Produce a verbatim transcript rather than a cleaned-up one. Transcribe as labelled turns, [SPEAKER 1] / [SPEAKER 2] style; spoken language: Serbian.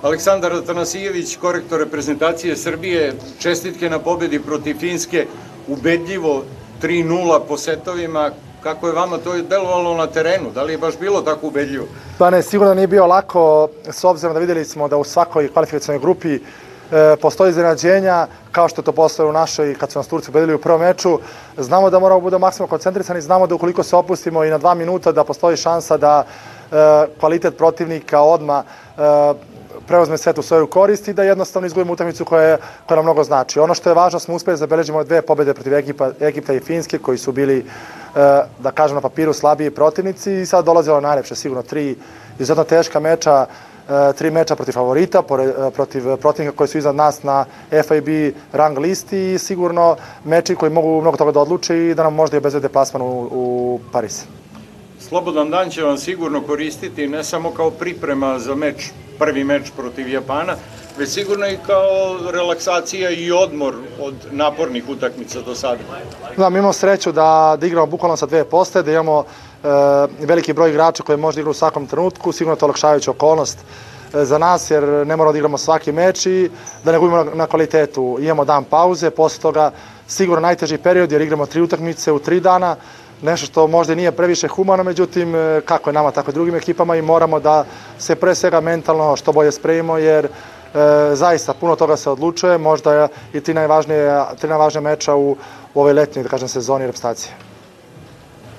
[SPEAKER 1] Aleksandar Atanasijević, korektor reprezentacije Srbije, čestitke na pobedi protiv Finske, ubedljivo tri nula po setovima. Kako je vama to delovalo na terenu? Da li je baš bilo tako ubedljivo?
[SPEAKER 2] Pa ne, sigurno nije bio lako, s obzirom da vidjeli smo da u svakoj kvalifikacionoj grupi postoji iznenađenja, kao što je to postoje u našoj, kad su nas Turci ubedili u prvom meču. Znamo da moramo budemo maksimalno koncentrisani, znamo da ukoliko se opustimo i na dva minuta da postoji šansa da kvalitet protivnika odmah preuzme set u svoju korist i da jednostavno izgubimo utakmicu koja nam mnogo znači. Ono što je važno, smo uspeli da zabeležimo dve pobede protiv Egipta i Finske, koji su bili, da kažem, na papiru slabiji protivnici i sad dolazilo najlepše, sigurno tri izuzetno teška meča, tri meča protiv favorita, protiv protivnika koji su iznad nas na F I B rang listi i sigurno meči koji mogu mnogo toga da odluče i da nam možda i obezbede plasman u Pariz.
[SPEAKER 1] Slobodan dan će vam sigurno koristiti ne samo kao priprema za meč, prvi meč protiv Japana, već sigurno i kao relaksacija i odmor od napornih utakmica do sada.
[SPEAKER 2] Da, mi imamo sreću da igramo bukvalno sa dve postaje, da imamo veliki broj igrača koji može da igra u svakom trenutku, sigurno je to olakšavajuća okolnost za nas, jer ne moramo da igramo svaki meč i da ne gubimo na kvalitetu. Imamo dan pauze, posle toga sigurno najteži period jer igramo tri utakmice u tri dana, nešto što možda nije previše humano, međutim, kako je nama, tako i drugim ekipama i moramo da se pre svega mentalno što bolje spremimo, jer zaista puno toga se odlučuje, možda i tri najvažnije meča u ovoj letnjoj, da kažem, sezoni reprezentacije.